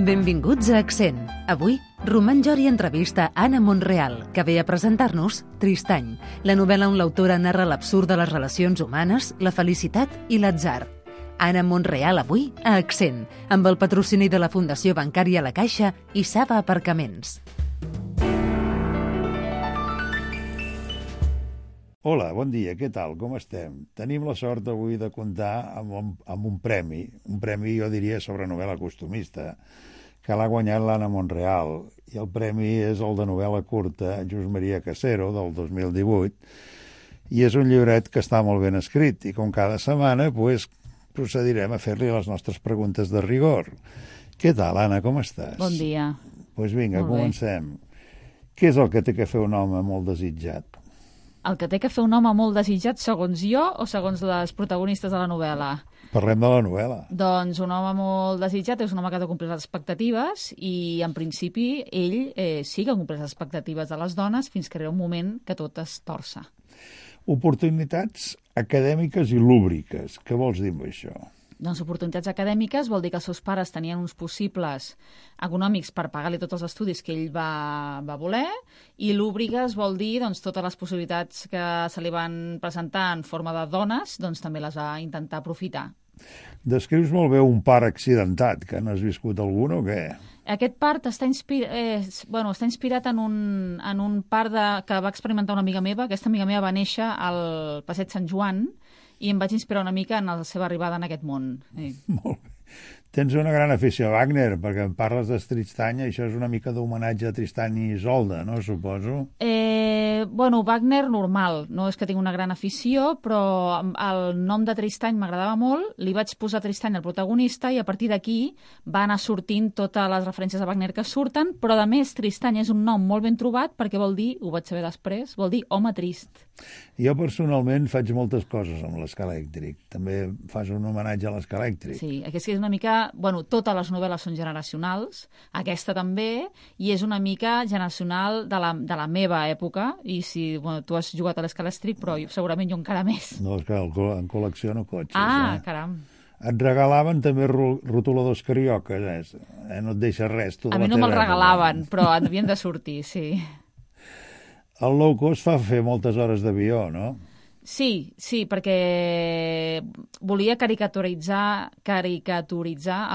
Benvinguts a Accent. Avui, Román Jori entrevista Anna Monreal, que ve a presentar-nos Tristany, la novel·la on l'autora narra l'absurd de les relacions humanes, la felicitat i l'atzar. Anna Monreal avui a Accent, amb el patrocini de la Fundació Bancària La Caixa i Saba Aparcaments. Hola, bon dia, què tal, com estem? Tenim la sort avui de comptar amb un premi jo diria sobre novel·la costumista, que l'ha guanyat l'Anna Monreal, i el premi és el de novel·la curta Just Maria Casero, del 2018, i és un llibret que està molt ben escrit, i com cada setmana procedirem a fer-li les nostres preguntes de rigor. Què tal, Anna, com estàs? Bon dia. Doncs vinga, comencem. Què és el que té que fer un home molt desitjat? El que té que fer un home molt desitjat, segons jo o segons les protagonistes de la novel·la? Parlem de la novel·la. Doncs un home molt desitjat és un home que ha de complir les expectatives i, en principi, ell sí que compleix les expectatives de les dones fins que arriba un moment que tot es torça. Oportunitats acadèmiques i lúbriques. Què vols dir amb això? Doncs oportunitats acadèmiques vol dir que els seus pares tenien uns possibles econòmics per pagar-li tots els estudis que ell va voler, i lúbriques vol dir doncs, totes les possibilitats que se li van presentar en forma de dones, doncs també les va intentar aprofitar. Descrius molt bé un part accidentat, que n'has viscut algun o què? Aquest part està inspirat en un part que va experimentar una amiga meva. Aquesta amiga meva va néixer al Passeig Sant Joan, i em vaig inspirar una mica en la seva arribada en aquest món. Sí. Molt bé. Tens una gran afició a Wagner, perquè em parles de Tristany, això és una mica d'homenatge a Tristany i Isolda, no, suposo? Wagner normal, no és que tinc una gran afició, però el nom de Tristany m'agradava molt, li vaig posar Tristany al protagonista i a partir d'aquí va anar sortint totes les referències a Wagner que surten, però a més Tristany és un nom molt ben trobat perquè vol dir, ho vaig saber després, vol dir home trist. Jo personalment faig moltes coses amb l'Escalèctric. També fas un homenatge a l'Escalèctric. Sí, aquesta és una mica... totes les novel·les són generacionals, aquesta també, i és una mica generacional de la meva època, i si tu has jugat a l'Escalèctric, però segurament jo encara més. No, és que en col·lecciono cotxes. Caram. Et regalaven també rotuladors carioques, no et deixa res. A mi no me'ls regalaven, però havien de sortir, sí. El low cost fa fer moltes hores d'avió, no? Sí, perquè volia caricaturitzar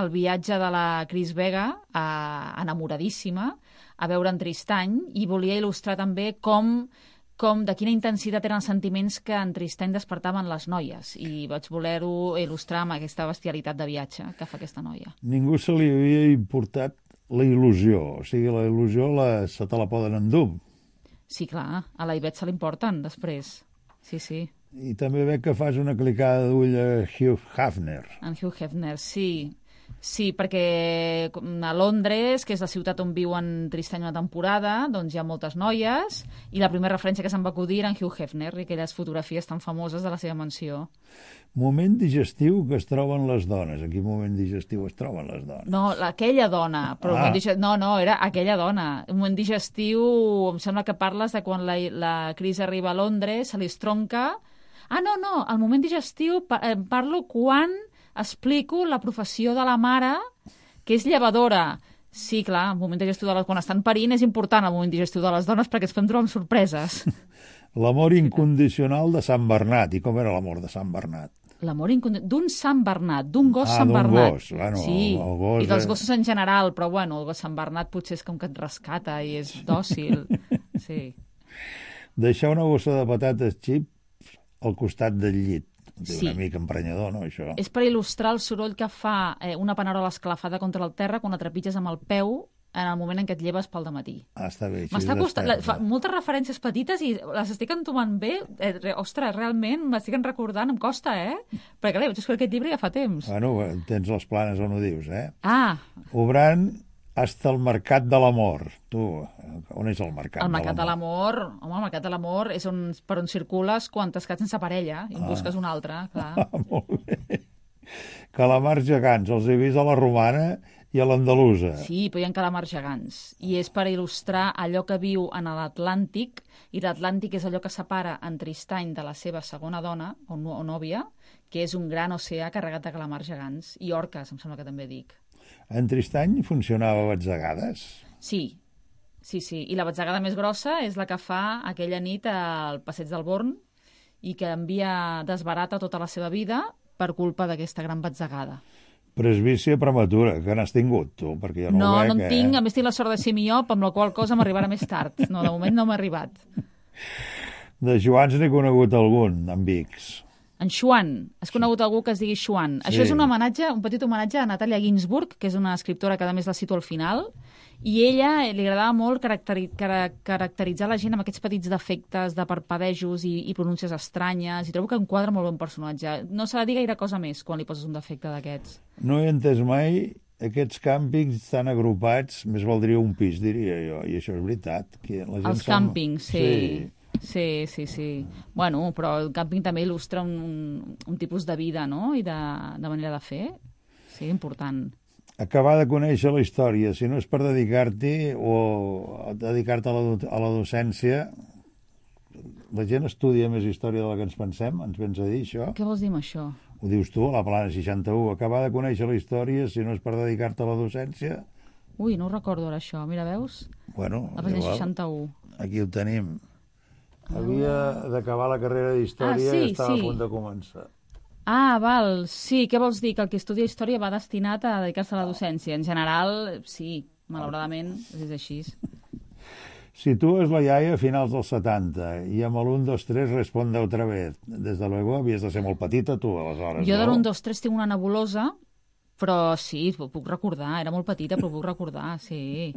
el viatge de la Cris Vega, enamoradíssima, a veure en Tristany, i volia il·lustrar també de quina intensitat eren els sentiments que en Tristany despertaven les noies, i vaig voler-ho il·lustrar amb aquesta bestialitat de viatge que fa aquesta noia. Ningú se li havia importat la il·lusió, o sigui, la il·lusió se te la poden endur. Sí, clar, a la Ivette se l'importen després. Sí. I també veig que fas una clicada d'ull a Hugh Hefner. En Hugh Hefner, sí. Sí, perquè a Londres, que és la ciutat on viuen Tristany una temporada, doncs hi ha moltes noies, i la primera referència que se'm va acudir era en Hugh Hefner i aquelles fotografies tan famoses de la seva mansió. Moment digestiu que es troben les dones. En quin moment digestiu es troben les dones? No, aquella dona. Però era aquella dona. Un moment digestiu, em sembla que parles de quan la Cris arriba a Londres, se li estronca... No, el moment digestiu parlo quan explico la professió de la mare, que és llevadora. Sí, clar, el moment digestiu quan estan parint és important el moment digestiu de les dones perquè ens fem trobar amb sorpreses. L'amor incondicional de Sant Bernat. I com era l'amor de Sant Bernat? L'amor incondicional d'un Sant Bernat, d'un gos Sant Bernat. Gos. Bueno, sí, el gos, i dels gossos en general, però el gos Sant Bernat potser és com que et rescata i és dòcil. Sí. Deixar una bossa de patates xips al costat del llit. Sí. Una mica emprenyador, no, això? És per il·lustrar el soroll que fa una panerola esclafada contra el terra quan la trepitges amb el peu en el moment en què et lleves pel dematí. Està bé. M'està costant... moltes referències petites i les estic entomant bé. Ostres, realment, m'estic recordant, em costa, Perquè, clar, vaig escollir aquest llibre ja fa temps. Bueno, tens les planes on ho dius, Obrant hasta el Mercat de l'Amor. Tu, on és el Mercat de l'Amor? El Mercat de l'Amor, home, el Mercat de l'Amor és per on circules quan t'has quedat sense parella i en busques un altre, clar. Molt bé. Calamars gegants, els he vist a la romana i a l'andalusa. Sí, però hi ha calamars gegants. I és per il·lustrar allò que viu en l'Atlàntic, i l'Atlàntic és allò que separa en Tristany de la seva segona dona, o nòvia, que és un gran oceà carregat de calamars gegants. I orques, em sembla que també dic. En Tristany funcionava a batzegades? Sí. I la batzegada més grossa és la que fa aquella nit al Passeig del Born i que desbarata tota la seva vida per culpa d'aquesta gran batzegada. Presbícia prematura, que n'has tingut, tu? Perquè jo no ho veig, en tinc. A més, tinc la sort de ser miop, amb la qual cosa m'arribarà més tard. No, de moment no m'ha arribat. De Joans n'he conegut algun, amb Vics. En Xuan. Has conegut algú que es digui Xuan. Sí. Això és un petit homenatge a Natàlia Ginsburg, que és una escriptora que a més la cito al final, i ella li agradava molt caracteritzar la gent amb aquests petits defectes de parpadejos i pronúncies estranyes, i trobo que enquadra molt bé un personatge. No s'ha de dir gaire cosa més quan li poses un defecte d'aquests. No he entès mai aquests càmpings tan agrupats, més valdria un pis, diria jo, i això és veritat. Que la gent Els càmpings, sí. Bueno, però el càmping també il·lustra un tipus de vida, no?, i de manera de fer. Sí, important. Acabar de conèixer la història, si no és per dedicar-t'hi o dedicar-te a la docència, la gent estudia més història de la que ens pensem, ens vens a dir això? Què vols dir amb això? Ho dius tu, a la Plana 61, acabar de conèixer la història, si no és per dedicar-te a la docència? Ui, no ho recordo ara això, mira, veus? Bueno, la Plana 61. Aquí ho tenim. Havia d'acabar la carrera d'història i estava a punt de començar. Val, sí, què vols dir? Que el que estudia història va destinat a dedicar-se a la docència. En general, sí, malauradament, és així. Sitúes la iaia a finals dels 70 i amb l'1, 2, 3 responde otra vez. Des de luego havies de ser molt petita, tu, aleshores. Jo de l'1, 2, 3 tinc una nebulosa, però sí, ho puc recordar. Era molt petita, però ho puc recordar, sí.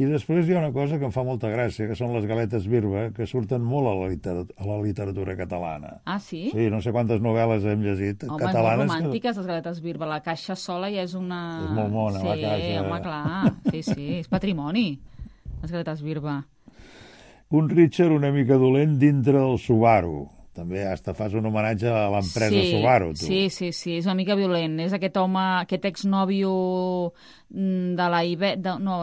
I després hi ha una cosa que em fa molta gràcia, que són les galetes Birba, que surten molt a la literatura catalana. Ah, sí? Sí, no sé quantes novel·les hem llegit catalanes. Home, molt romàntiques, les galetes Birba. La caixa sola ja és una... És molt mona, la caixa. Sí, home, clar. Sí, és patrimoni, les galetes Birba. Un Richard una mica dolent dintre del Subaru. També hasta fas un homenatge a l'empresa Subaru, tu. Sí, és una mica violent. És aquest home, aquest exnòvio de la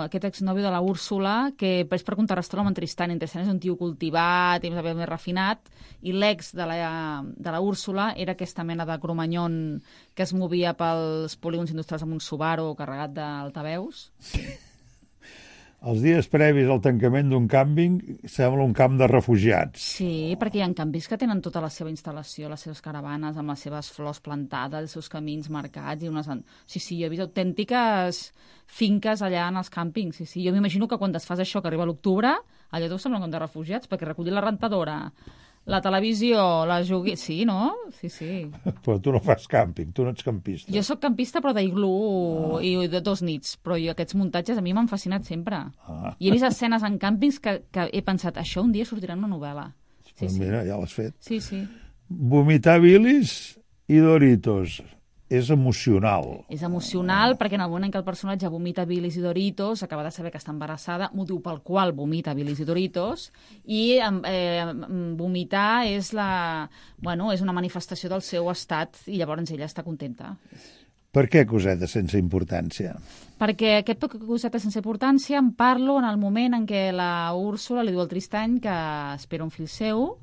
aquest exnòvio de la Úrsula, que és per contrarrestar-lo amb en Tristany. En Tristany és un tio cultivat i més refinat, i l'ex de la Úrsula era aquesta mena de cromanyon que es movia pels polígons industrials amb un Subaru carregat d'altaveus. Els dies previs al tancament d'un càmping sembla un camp de refugiats. Sí, perquè hi ha càmpings que tenen tota la seva instal·lació, les seves caravanes, amb les seves flors plantades, els seus camins marcats. Sí, jo he vist autèntiques finques allà en els càmpings. Sí. Jo m'imagino que quan es fas això, que arriba l'octubre, allà tot sembla un camp de refugiats, perquè recollir la rentadora, la televisió, la Sí, no? Sí. Però tu no fas càmping, tu no ets campista. Jo sóc campista, però d'iglú i de 2 nits. Però aquests muntatges a mi m'han fascinat sempre. I he vist escenes en càmpings que he pensat, això un dia sortirà en una novel·la. Sí. Mira, ja l'has fet. Sí. Vomitar bilis i Doritos. És emocional. És emocional perquè en el moment en què el personatge vomita bilis i Doritos, acaba de saber que està embarassada, motiu pel qual vomita bilis i Doritos, i vomitar és una manifestació del seu estat i llavors ella està contenta. Per què cosetes sense importància? Perquè aquest cosetes sense importància en parlo en el moment en què la Úrsula li diu al Tristany que espera un fill seu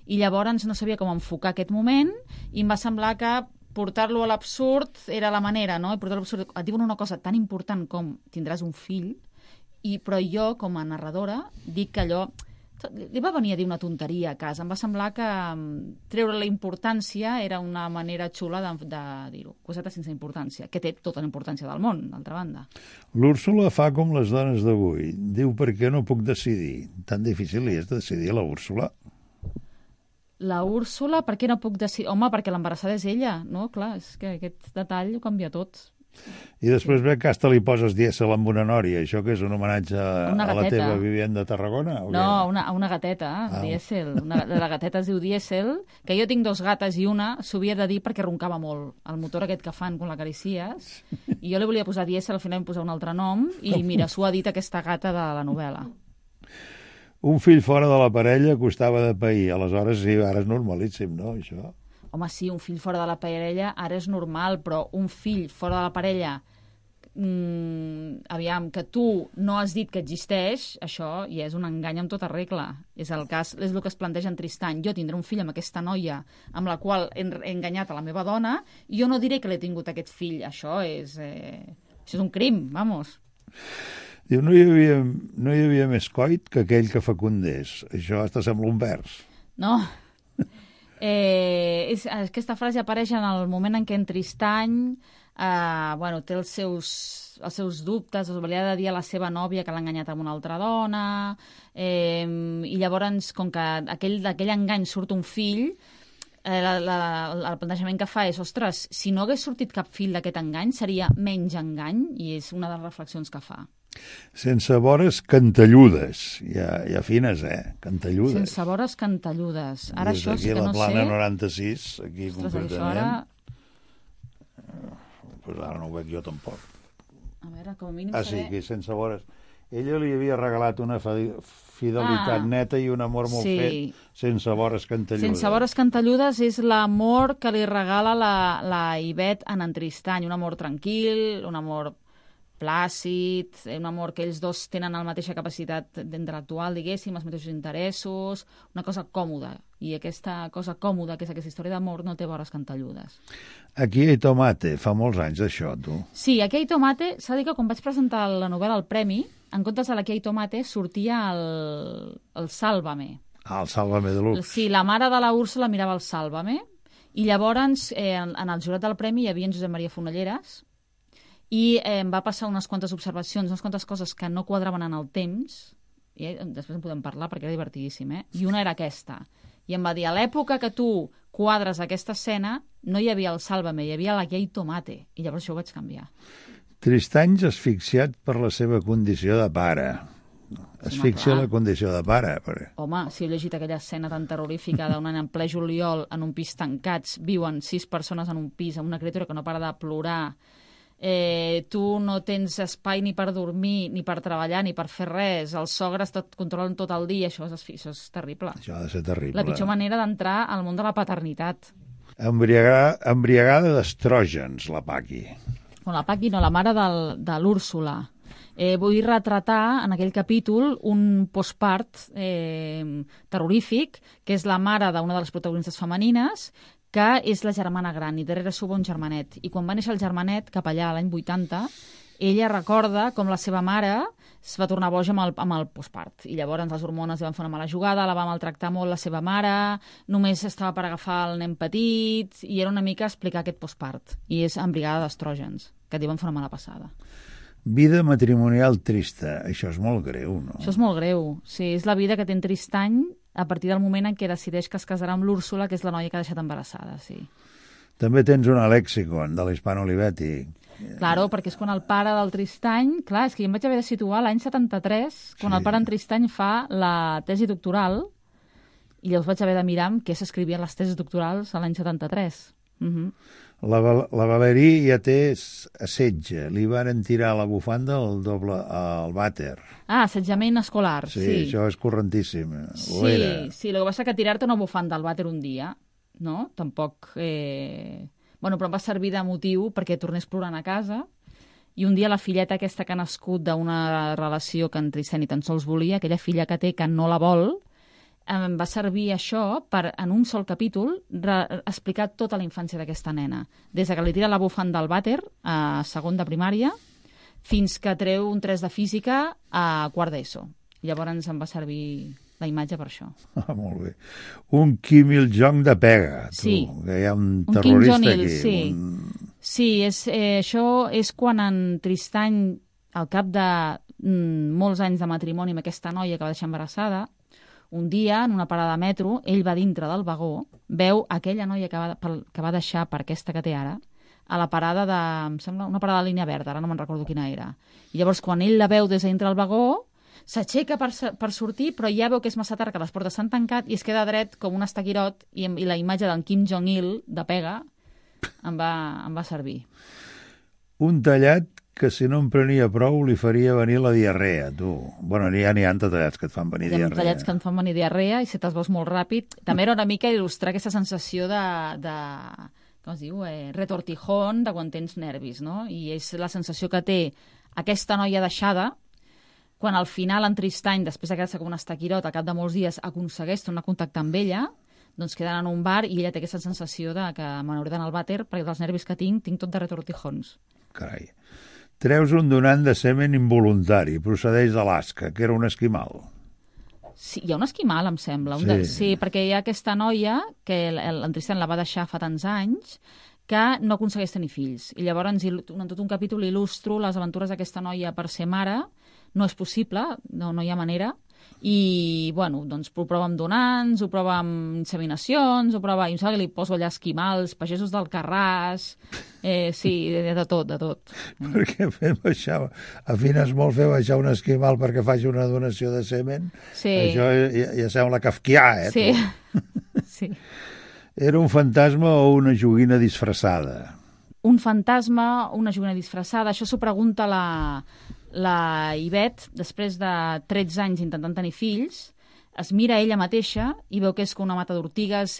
i llavors no sabia com enfocar aquest moment i em va semblar que portar-lo a l'absurd era la manera, no? Portar-lo a l'absurd. Et diuen una cosa tan important com tindràs un fill, però jo, com a narradora, dic que allò... Li va venir a dir una tonteria a casa. Em va semblar que treure la importància era una manera xula de dir-ho. Coseta sense importància, que té tota la importància del món, d'altra banda. L'Úrsula fa com les dones d'avui. Diu, per què no puc decidir? Tan difícil li és de decidir, la Úrsula? La Úrsula, per què no puc decidir? Home, perquè l'embarassada és ella, no? Clar, és que aquest detall ho canvia tot. I després ve que hasta li poses dièsel amb una nòria, això que és un homenatge a la teva vivenda de Tarragona? No, a una gateta, dièsel. La gateta es diu dièsel, que jo tinc 2 gates i una s'ho havia de dir perquè roncava molt. El motor aquest que fan quan l'acaricies. I jo li volia posar dièsel, al final em posar un altre nom, i mira, s'ho ha dit aquesta gata de la novel·la. Un fill fora de la parella costava de pair. Aleshores, sí, ara és normalíssim, no, això? Home, sí, un fill fora de la parella ara és normal, però un fill fora de la parella aviam, que tu no has dit que existeix, això ja és un engany amb tota regla. És el que es planteja en Tristany. Jo tindré un fill amb aquesta noia amb la qual he enganyat a la meva dona i jo no diré que l'he tingut aquest fill. Això és un crim, vamos. Diu, no hi havia més coit que aquell que fecundés. Això hasta sembla un vers. No. Aquesta frase apareix en el moment en què en Tristany té els seus dubtes, li ha de dir a la seva nòvia que l'ha enganyat amb una altra dona, i llavors, com que d'aquell engany surt un fill, el plantejament que fa és, ostres, si no hagués sortit cap fill d'aquest engany, seria menys engany, i és una de les reflexions que fa. Sense vores cantelludes. Ja fines, cantelludes. Sense vores cantelludes. Ara des això sí que no sé... Des d'aquí la plana 96, aquí concretament... Això ara... Pues ara no ho veig jo tampoc. A veure, com a mínim sí, que sense vores. Ella li havia regalat una fidelitat neta i un amor molt fet, sense vores cantelludes. Sense vores cantelludes és l'amor que li regala la Ivet en Tristany. Un amor tranquil, un amor plàcid, un amor que ells dos tenen la mateixa capacitat intel·lectual, diguéssim, els mateixos interessos, una cosa còmoda. I aquesta cosa còmoda, que és aquesta història d'amor, no té vores cantelludes. Aquí hi ha Tomate, fa molts anys d'això, tu. Sí, aquí hi ha Tomate, s'ha de dir que quan vaig presentar la novel·la al Premi, en comptes de l'Aquí hi ha Tomate, sortia el Sálvame. El Sálvame de Lux. Sí, la mare de la Úrsula mirava el Sálvame, i llavors en el jurat del Premi hi havia en Josep Maria Fonelleres, i em va passar unes quantes observacions, unes quantes coses que no quadraven en el temps, i després en podem parlar perquè era divertidíssim, i una era aquesta. I em va dir, a l'època que tu quadres aquesta escena, no hi havia el Sálvame, hi havia l'Aquí hi ha Tomate, i llavors això ho vaig canviar. Tristany asfixiat per la seva condició de pare. Asfixia la condició de pare. Home, si heu llegit aquella escena tan terrorífica d'un any en ple juliol, en un pis tancats, viuen 6 persones en un pis, amb una criatura que no para de plorar, tu no tens espai ni per dormir, ni per treballar, ni per fer res, els sogres et controlen tot el dia, això és terrible. Això ha de ser terrible. La pitjor manera d'entrar al món de la paternitat. Embriagada d'estrògens, la Paqui. No, la Paqui no, la mare de l'Úrsula. Vull retratar en aquell capítol un postpart terrorífic, que és la mare d'una de les protagonistes femenines, que és la germana gran, i darrere s'ho va un germanet. I quan va néixer el germanet, cap allà l'any 80, ella recorda com la seva mare es va tornar boja amb el postpart. I llavors les hormones li van fer una mala jugada, la va maltractar molt la seva mare, només estava per agafar el nen petit, i era una mica explicar aquest postpart. I és embriagada d'estrògens, que li van fer una mala passada. Vida matrimonial trista. Això és molt greu, no? Això és molt greu. Sí, és la vida que té en Tristany a partir del moment en què decideix que es casarà amb l'Úrsula, que és la noia que ha deixat embarassada, sí. També tens una lexicon de l'Hispano Olivetti. Claro, perquè és quan el pare del Tristany... Clar, és que jo em vaig haver de situar l'any 73, quan el pare en Tristany fa la tesi doctoral, i llavors vaig haver de mirar què s'escrivien les tesis doctorals a l'any 73. La Valerí ja té assetge. Li varen tirar la bufanda al vàter. Assetjament escolar, sí. Sí, això és correntíssim. Sí, el que passa que tirar-te una bufanda al vàter un dia, no? Tampoc... Bueno, però em va servir de motiu perquè tornés plorant a casa, i un dia la filleta aquesta que ha nascut d'una relació que en Tristany tan sols volia, aquella filla que té que no la vol, em va servir això per, en un sol capítol, explicar tota la infància d'aquesta nena. Des que li tira la bufanda al vàter, a segon de primària, fins que treu un 3 de física a quart d'ESO. Llavors em va servir la imatge per això. Molt bé. Un Kim Il-jong de pega, tu. Sí. Que hi ha un terrorista Kim Jong-il, aquí. Sí, sí això és quan en Tristany, al cap de molts anys de matrimoni amb aquesta noia que va deixar embarassada, un dia, en una parada de metro, ell va dintre del vagó, veu aquella noia que va deixar per aquesta que té ara, a la parada de... em sembla, una parada de línia verda, ara no me'n recordo quina era. I llavors, quan ell la veu des de dintre del vagó, s'aixeca per sortir, però ja veu que és massa tard, que les portes s'han tancat, i es queda dret com un estaquirot, i la imatge del Kim Jong-il de pega em va servir. Un tallat que si no em prenia prou li faria venir la diarrea, tu. Bueno, n'hi ha tallats que et fan venir diarrea. Hi ha tallats que et fan venir diarrea i si te'ls veus molt ràpid. També era una mica il·lustrar aquesta sensació com es diu, retortijón de quan tens nervis, no? I és la sensació que té aquesta noia deixada, quan al final en Tristany, després de quedar-se com un estaquirot, al cap de molts dies aconsegueix tornar a contactar amb ella, doncs queden en un bar i ella té aquesta sensació de que me n'hauré d'anar al vàter perquè dels nervis que tinc tot de retortijons. Carai. Treus un donant de semen involuntari, procedeix d'Alaska, que era un esquimal. Sí, hi ha un esquimal, em sembla. Sí, perquè hi ha aquesta noia que en Tristany la va deixar fa tants anys que no aconsegueix tenir fills. I llavors, en tot un capítol, il·lustro les aventures d'aquesta noia per ser mare. No és possible, no hi ha manera. I, bueno, doncs ho prova amb donants, ho prova amb inseminacions, ho prova... I em sembla que li poso allà esquimals, pagesos d'Alcarràs... sí, de tot. Perquè fem baixar... Afines molt fer baixar un esquimal perquè faci una donació de semen? Sí. Això ja sembla kafkià, Sí, sí. Era un fantasma o una joguina disfressada? Un fantasma o una joguina disfressada, això s'ho pregunta la Ivet, després de 13 anys intentant tenir fills, es mira ella mateixa i veu que és com una mata d'ortigues,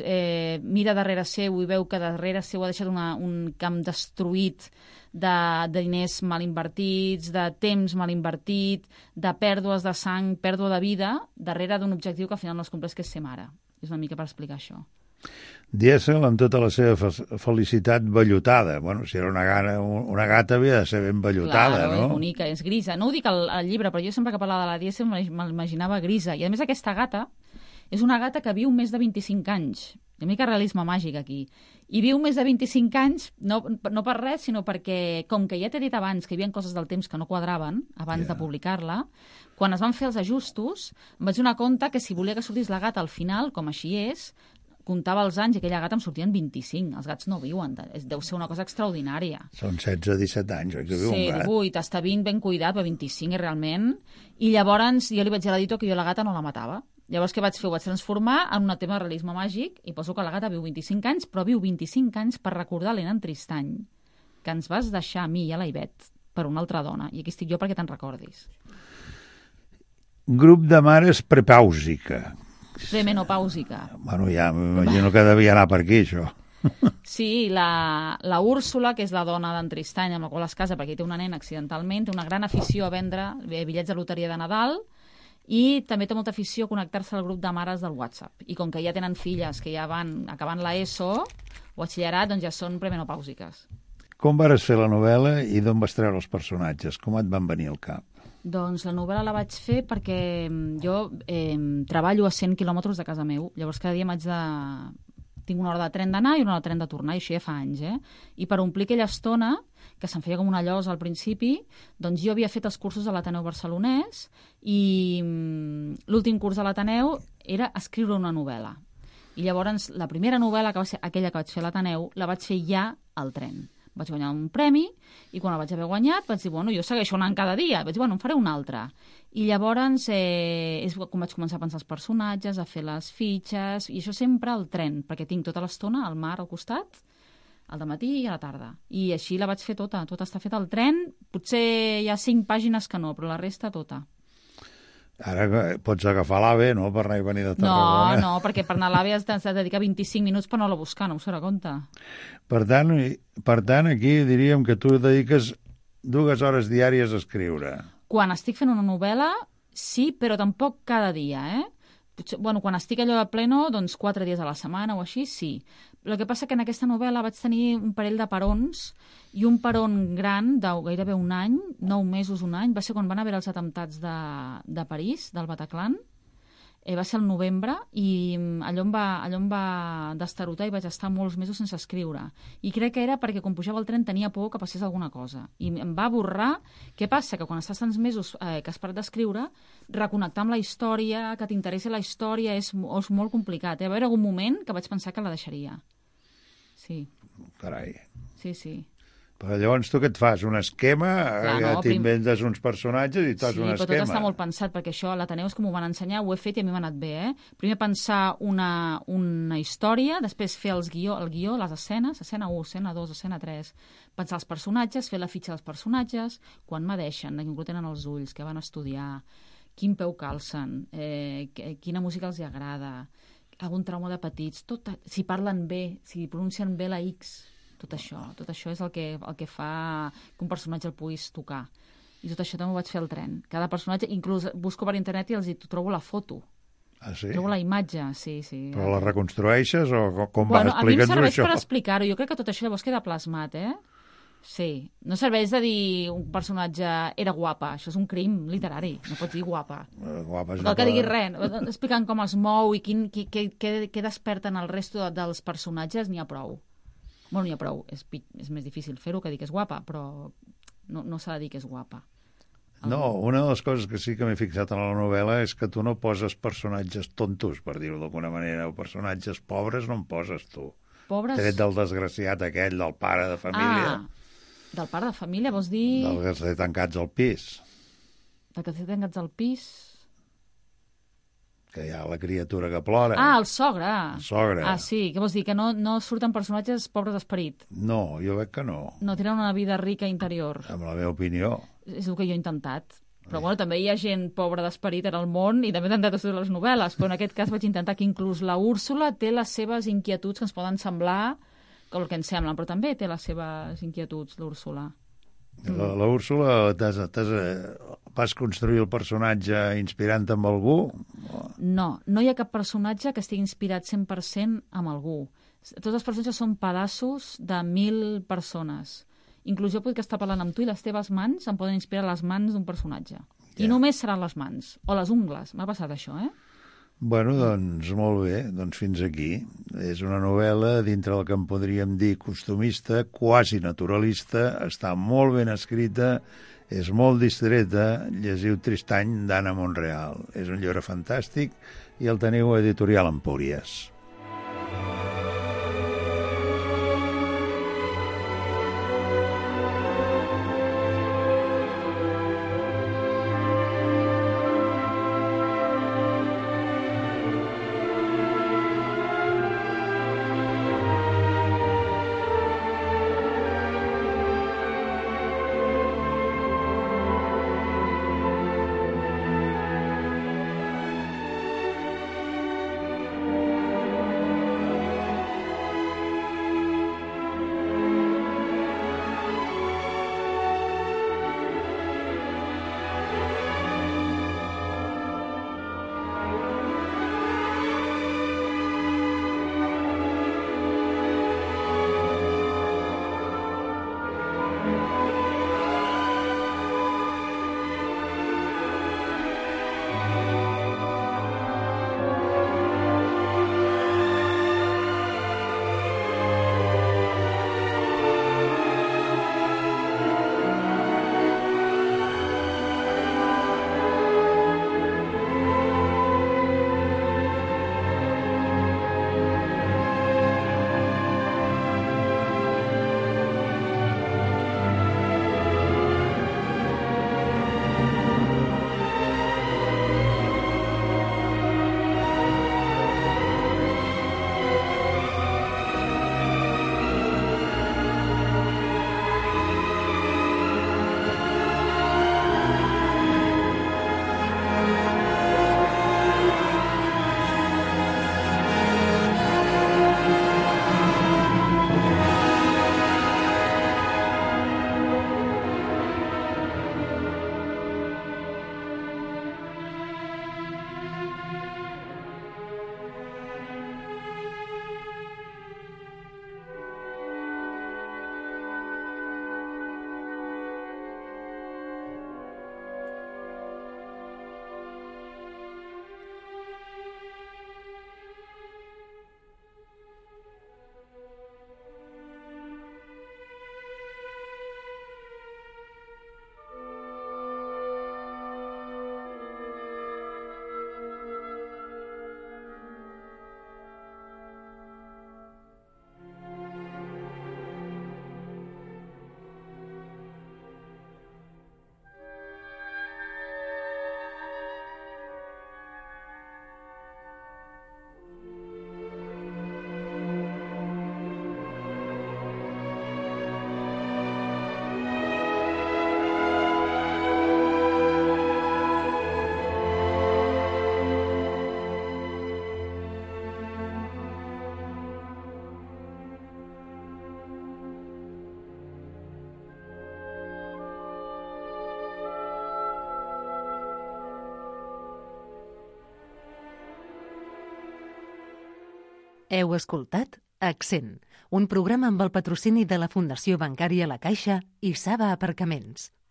mira darrere seu i veu que darrere seu ha deixat un camp destruït de diners mal invertits, de temps mal invertit, de pèrdues de sang, pèrdua de vida, darrere d'un objectiu que al final no es compleix, que és ser mare. És una mica per explicar això. Dièsel, amb tota la seva felicitat, vellutada. Bueno, si era una gata havia de ser ben vellutada, no? És bonica, és grisa. No ho dic al llibre, però jo sempre que parlava de la Dièsel m'imaginava grisa. I a més aquesta gata és una gata que viu més de 25 anys. Hi ha una mica realisme màgic aquí. I viu més de 25 anys, no per res, sinó perquè, com que ja t'he dit abans que hi havia coses del temps que no quadraven abans de publicar-la, quan es van fer els ajustos, em vaig donar compte que si volia que sortís la gata al final, com així és, comptava els anys i aquella gata em sortien 25. Els gats no viuen, deu ser una cosa extraordinària. Són 16-17 anys, oi que viu un gat? Sí, 18, està 20 ben cuidat, però 25 realment. I llavors jo li vaig dir a l'editor que jo la gata no la matava. Llavors què vaig fer? Ho vaig transformar en un tema de realisme màgic i poso que la gata viu 25 anys, però viu 25 anys per recordar l'Ena en Tristany, que ens vas deixar a mi i a la Ivet per una altra dona. I aquí estic jo perquè te'n recordis. Grup de mares prepàusica. Premenopàusica. Bueno, ja m'imagino que devia anar per aquí, això. Sí, la Úrsula, que és la dona d'en Tristany, amb la qual es casa perquè té una nena accidentalment, té una gran afició a vendre bitllets de loteria de Nadal i també té molta afició a connectar-se al grup de mares del WhatsApp. I com que ja tenen filles que ja van acabant l'ESO o batxillerat, doncs ja són premenopàusiques. Com vas fer la novel·la i d'on vas treure els personatges? Com et van venir al cap? Doncs la novel·la la vaig fer perquè jo treballo a 100 quilòmetres de casa meu. Llavors cada dia tinc una hora de tren d'anar i una hora de tren de tornar, i això ja fa anys, I per omplir aquella estona, que se'm feia com una llosa al principi, doncs jo havia fet els cursos a l'Ateneu Barcelonès i l'últim curs de l'Ateneu era escriure una novel·la. I llavors la primera novel·la, que va ser aquella que vaig fer a l'Ateneu, la vaig fer ja al tren. Vaig guanyar un premi i quan el vaig haver guanyat vaig dir, bueno, jo segueixo anant cada dia. Vaig dir, bueno, en faré un altre. I llavors és com vaig començar a pensar els personatges, a fer les fitxes, i això sempre al tren, perquè tinc tota l'estona al mar al costat, al dematí i a la tarda. I així la vaig fer tota està feta al tren. Potser hi ha 5 pàgines que no, però la resta tota. Ara pots agafar l'AVE, no?, per anar i venir de Tarragona. No, perquè per anar a l'AVE has de dedicar 25 minuts per anar-la a buscar, no us farà compte. Per tant, aquí diríem que tu dediques 2 hores diàries a escriure. Quan estic fent una novel·la, sí, però tampoc cada dia, Potser, quan estic allò a pleno, doncs 4 dies a la setmana o així, sí. El que passa que en aquesta novel·la vaig tenir un parell de parons, i un peron gran de gairebé un any, 9 mesos, un any, va ser quan van haver els atemptats de París, del Bataclan. Va ser el novembre, i allò em va destarotar i vaig estar molts mesos sense escriure. I crec que era perquè quan pujava el tren tenia por que passés alguna cosa. I em va borrar. Què passa? Que quan estàs tants mesos que has parat d'escriure, reconnectar amb la història, que t'interessi la història, és molt complicat. Va haver algun moment que vaig pensar que la deixaria. Sí. Carai. Sí. Però llavors tu què et fas? Un esquema? T'inventes uns personatges i fas un esquema? Sí, però tot està molt pensat, perquè això a l'Ateneu és com ho van ensenyar, ho he fet i a mi m'ha anat bé, Primer pensar una història, després fer el guió, les escenes, escena 1, escena 2, escena 3, pensar els personatges, fer la fitxa dels personatges, quan medeixen, de quin color tenen els ulls, què van estudiar, quin peu calcen, quina música els agrada, algun trauma de petits, tot, si parlen bé, si pronuncien bé la X, Tot això és el que fa que un personatge el puguis tocar. I tot això també ho vaig fer al tren. Cada personatge, inclús busco per internet i els trobo la foto. Ah, sí? Trobo la imatge, sí. Però la reconstrueixes o com va? Bueno, a mi em Explica'ns serveix això. per explicar-ho. Jo crec que tot això llavors queda plasmat, Sí. No serveix de dir un personatge era guapa. Això és un crim literari. No pots dir guapa. Guapa és No que diguis res. Explicant com es mou i què desperten el resto dels personatges, n'hi ha prou. Bueno, n'hi ha prou. És més difícil fer-ho que dir que és guapa, però no s'ha de dir que és guapa. No, una de les coses que sí que m'he fixat en la novel·la és que tu no poses personatges tontos, per dir-ho d'alguna manera, o personatges pobres no en poses tu. Pobres... Tret del desgraciat aquell, del pare de família. Del pare de família, vols dir... Del que té tancats al pis. Del que té tancats al pis... Que hi ha la criatura que plora. El sogre. El sogre. Sí, què vols dir? Que no surten personatges pobres d'esperit. No, jo veig que no. No tenen una vida rica interior. Amb la meva opinió. És el que jo he intentat. Però bueno, també hi ha gent pobra d'esperit en el món i també he intentat estudiar les novel·les, però en aquest cas vaig intentar que inclús la Úrsula té les seves inquietuds que ens poden semblar el que ens semblen, però també té les seves inquietuds, l'Úrsula. La Úrsula, vas construir el personatge inspirant amb algú? No hi ha cap personatge que estigui inspirat 100% amb algú. Tots els personatges són pedaços de 1.000 persones. Inclús jo puc estar parlant amb tu i les teves mans em poden inspirar les mans d'un personatge. I només seran les mans, o les ungles. M'ha passat això, Bueno, doncs molt bé, doncs fins aquí. És una novel·la dintre del que en podríem dir costumista, quasi naturalista, està molt ben escrita, és molt distreta, llegiu Tristany d'Anna Monreal. És un llibre fantàstic i el teniu a Editorial Empúries. Heu escoltat Accent, un programa amb el patrocini de la Fundació Bancària La Caixa i Saba Aparcaments.